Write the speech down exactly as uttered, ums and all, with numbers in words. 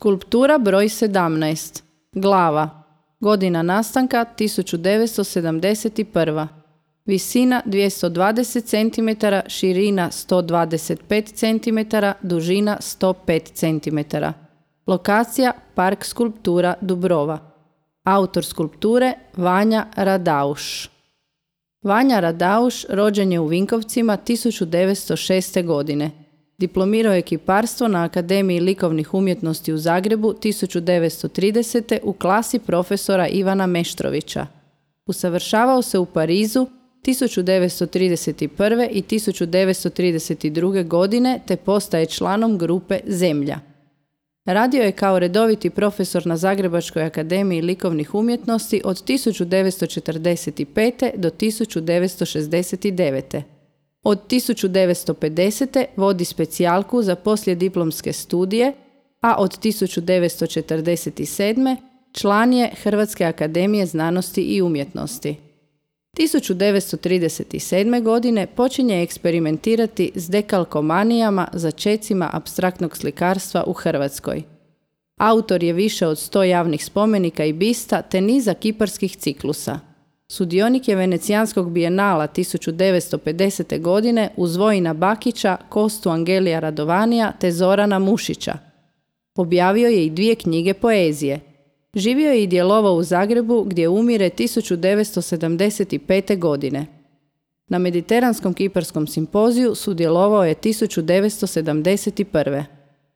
Skulptura broj sedamnaest. Glava. Godina nastanka tisuću devetsto sedamdeset prva. Visina dvjesto dvadeset centimetara, širina sto dvadeset pet centimetara, dužina sto pet centimetara. Lokacija Park skulptura Dubrova. Autor skulpture Vanja Radauš. Vanja Radauš rođen je u Vinkovcima tisuću devetsto šeste. godine. Diplomirao je kiparstvo na Akademiji likovnih umjetnosti u Zagrebu tisuću devetsto tridesete. u klasi profesora Ivana Meštrovića. Usavršavao se u Parizu tisuću devetsto trideset prve. i tisuću devetsto trideset druge. godine te postaje članom grupe Zemlja. Radio je kao redoviti profesor na Zagrebačkoj akademiji likovnih umjetnosti od tisuću devetsto četrdeset pete. do tisuću devetsto šezdeset devete. Od tisuću devetsto pedesete. vodi specijalku za poslijediplomske studije, a od tisuću devetsto četrdeset sedme. član je Hrvatske akademije znanosti i umjetnosti. tisuću devetsto trideset sedme. godine počinje eksperimentirati s dekalkomanijama začecima apstraktnog slikarstva u Hrvatskoj. Autor je više od sto javnih spomenika i bista te niza kiparskih ciklusa. Sudionik je Venecijanskog bijenala tisuću devetsto pedesete. godine uz Vojina Bakića, Kostu Angelija Radovanija te Zorana Mušića. Objavio je i dvije knjige poezije. Živio je i djelovao u Zagrebu gdje umire tisuću devetsto sedamdeset pete. godine. Na Mediteranskom kiparskom simpoziju sudjelovao je tisuću devetsto sedamdeset prve.